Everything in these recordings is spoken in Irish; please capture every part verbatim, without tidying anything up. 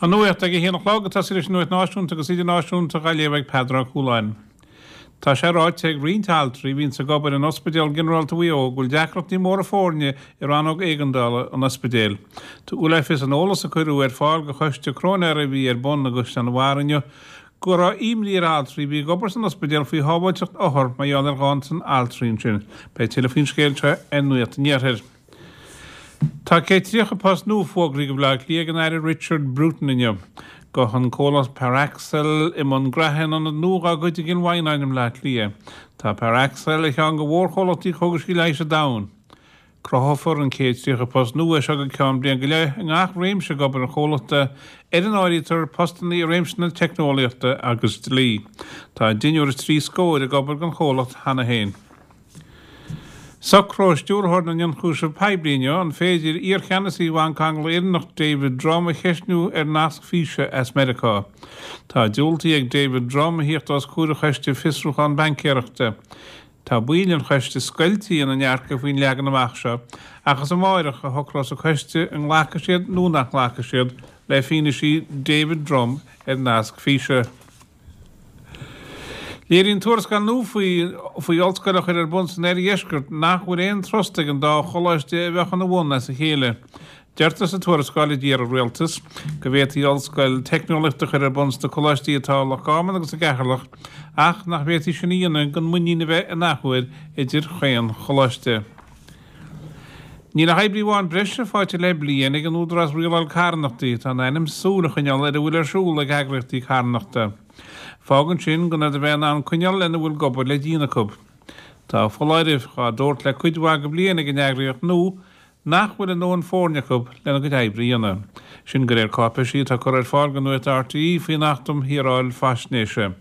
An nuacht ag a haon a chlog ag tosú leis an nuacht náisiúnta agus idirnáisiúnta á léamh ag Peadar Ó Cualáin. Tá sé ráite ag roinnt altraí a bhíonns ag obair in Ospidéal Ginearálta Mhaigh Eo go bhfuil deacrachtaí móra foirne i rannóg éigeandála an ospidéil. Tugadh le fios in eolas a cuireadh ar fáil do choiste cróinéara a bhí ar bun i gCaisleán an Bharraigh inniu go raibh imní ar altraí a bhí ag obair san ospidéal faoi shábháilteacht othar mar gheall ar ghanntan altraí ansin. Beidh tuilleadh faoin scéal seo ar Nuacht an Iarthair. Tá céad tríocha post nua fógraithe do Bhaile Átha Cliath ag an Aire Richard Bruton inniu. Gabhfaidh an comhlacht Parexel i mbun graithe in ionad nua dá gcuid i gCill Mhaighneáin i mBleá Cliath. Tá Parexel ar cheann de mhórchomhlachtaí cógaisí leighis sa domhan. Cruthófar an céad tríocha post nua seo go ceann bliain go leith i ngach réimse d'obair an chomhlachta, ar a n-áirítear postanna i réimse na teicneolaíochta agus dlí. Tá deichniúr is trí scór ag obair don chomhlacht cheana féin. Socróidh Stiúrthóir na nIonchúiseamh Poiblí inniu an féidir iarcheannasaí Bhanc Angla-Éireannach David Drumm a cheistniú ar nasc físe as Meiriceá. Tá diúltaithe ag David Drumm a thíocht os comhair an Choiste Fiosrúchán Baincéireachta. Tá baill an choiste scoilte ina ndearcadh faoin leagan amach seo, ach is amárach a shocrós an coiste an nglacfaidh siad nó nach nglacfaidh siad le fianaise David Drumm ar nasc físe. Léiríonn tuarascáil nua faoi faoi ollscoil a chur ar bun san oirdheisceart nach bhfuil aon trust ag an dá choláiste a bheadh ina bhun as a chéile. Deirtear sa tuarascáil a d'iarr an rialtas go bhféadfaí ollscoil teicneolaíochta a chur ar bun sna coláistí atá i Loch Garman agus i gCeatharlach ach nach bhféadfaí sin a dhéanamh gan muinín a bheith in athuair idir chaon choláiste. Níl ach oibrí amháin breise faighte le bliain ag an Údarás Rialála Carthanachtaí atá in ainm súil a choinneáil ar a bhfuil ar siúl ag eagraíochtaí carthanachta. Fágann sin gan iad a bheith in ann coinneáil lena bhfuil d'obair le déanamh acu. Tá foláirimh á dtabhairt le cuid mhaith de bhliain ag an eagraíocht nua nach bhfuil a ndóthain foirne acu lena gcuid oibre a dhéanamh. Sin de réir cáipéisí atá curtha ar fáil do Nuacht RTÉ faoin Acht um Shaoráil Faisnéise.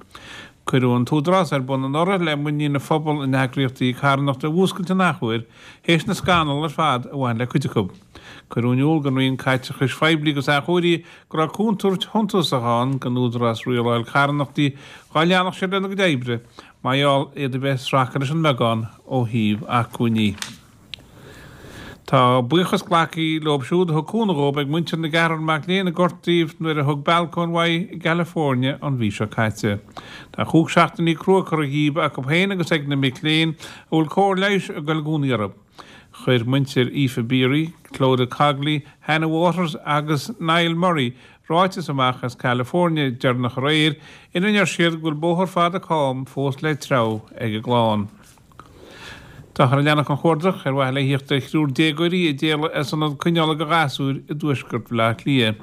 Cuireadh an tÚdarás ar bun anuraidh le muinín an phobail in eagraíochtaí carthanachta a mhúscailt an athuair théis na scannal ar fad a bhain le cuid acu. Cuireadh in iúl don Roinn Caiteachais Phoiblí agus Athchóirithe go raibh contúirt shuntasach ann don Údarás Rialála Carthanachtaí dá leanfadh siad lena gcuid oibre mar gheall iad a bheith ag sracadh leis an mbeagán ó thaobh acmhainní. Tá buíochas glactha leo siúd a thug cúnamh dóibh ag muintir na gceathrar mac léinn a gortaíodh nuair a thug balcóin uaidh i gCalifornia an mhí seo caite. Tá cúig seachtainí crua curtha dhíobh acu féin agus ag na mic léinn a bhfuil cóir leighis ag dul i gcónaí orthu. Chuir muintir Aoife Beery, Clodagh Cogley, Hannah Waters agus Niall Murray ráiteas amach as California deireanach aréir ina ndeir siad go bhfuil bóthar fada cam fós le treabhadh ag a gclann. Táthar ag leanacht an chuardach ar mhaithe le thíocht ar thriúr déagóirí a d'éalaigh as ionad coinneála do ghasúir i dtuaisceart Bhaile Átha Cliath.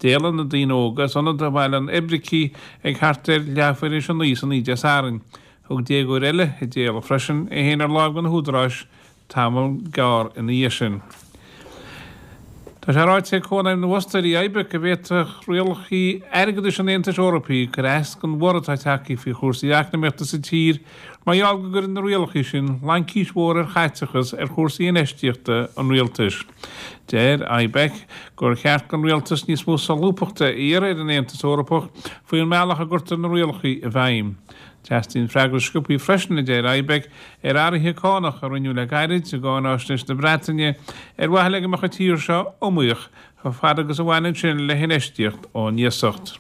D'éalaigh na daoine óga as ionad i mBaile an Oibricigh ag thart ar leathuair tar éis a naoi san oíche Dé Sathairn. Thug déagóir eile a d'éalaigh freisin é féin ar láimh do na húdaráis tamall gearr ina dhiaidh sin. Tá sé ráite ag Cónaidhm na bhFostóirí IBEC go bhféadfadh rialacha airgeadais an Aontais Eorpaigh cur as don bhorradh atá tagtha faoi chúrsaí eacnamaíochta sa tír mar gheall go gcuireann na rialacha sin laincis mhór ar chaiteachas ar chúrsaí infheistíochta an rialtais. Deir IBEC gur cheart don rialtas níos mó solúbthachta a iarraidh ar an Aontas Eorpach faoin mbealach a gcuirtear na rialacha i bhfeidhm. Teastaíonn freagra sciobtha freisin a deir IBEC ar athruithe cánach a rinneadh le gairid i gcáinaisnéis na Breataine ar mhaithe le go mbeadh an tír seo iomaíoch chomh fada agus a bhaineann sin le hinfheistíocht ón iasacht.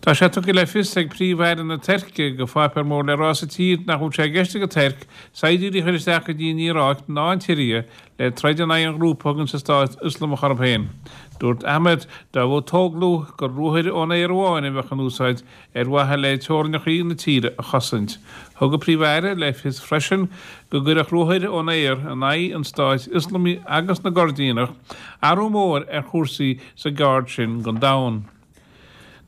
Tá sé tugtha le fios ag Príomh-Aire na Tuirce do pháipéar mór le rá sa tír nach bhfuil sé i gceist ag an Tuirc saighdiúirí a chur isteach go dtí an Iaráic ná an tSiria le troid in aghaidh an ghrúpa a thugann sa Stát Ioslamach orthu féin. Dúirt Ahmed Davutoglu gur ruathair ón aer amháin a bheadh in úsáid ar mhaithe le teorainneacha na tíre a chosaint. Thug an Príomh-Aire le fios freisin go gcuirfeadh ruathair ón aer in aghaidh an Stáit Ioslamaigh agus na gCoirdíneach athrú mór ar chúrsaí sa gceard sin den domhan.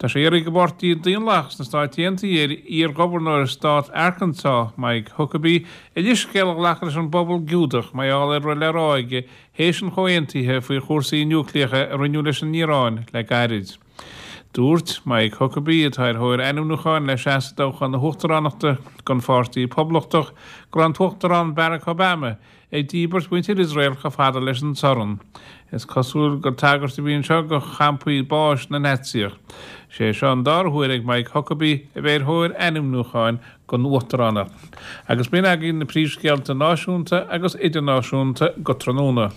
Tá sé iarrtha ag an bPáirtí Daonlathach sna Stáit Aontaithe ar iar-ghobharnóir stát Arkansas, Mike Huckabee, a leithscéal a ghlacadh leis an bpobal Giúdach mar gheall ar a raibh le rá aige théis an chomhaontaithe faoi chúrsaí núicléacha a rinneadh leis an Iaráin le gairid. Dúirt Mike Huckabee atá ar thóir ainmniúcháin le seasamh i dtoghchán na huachtaránachta don Pháirtí Poblachtach go raibh an tUachtarán Barack Obama ag díbirt mhuintir Iosrael chomh fada leis an sorn. Is cosúil gur tagairt a bhí anseo do champaí báis na Naitsíoch. Sé seo an dara huair ag Mike Huckabee a bheith ar thóir ainmniúcháin don uachtaránacht. Agus b'in agaibh na príomhscéalta náisiúnta agus idirnáisiúnta go tráthnóna.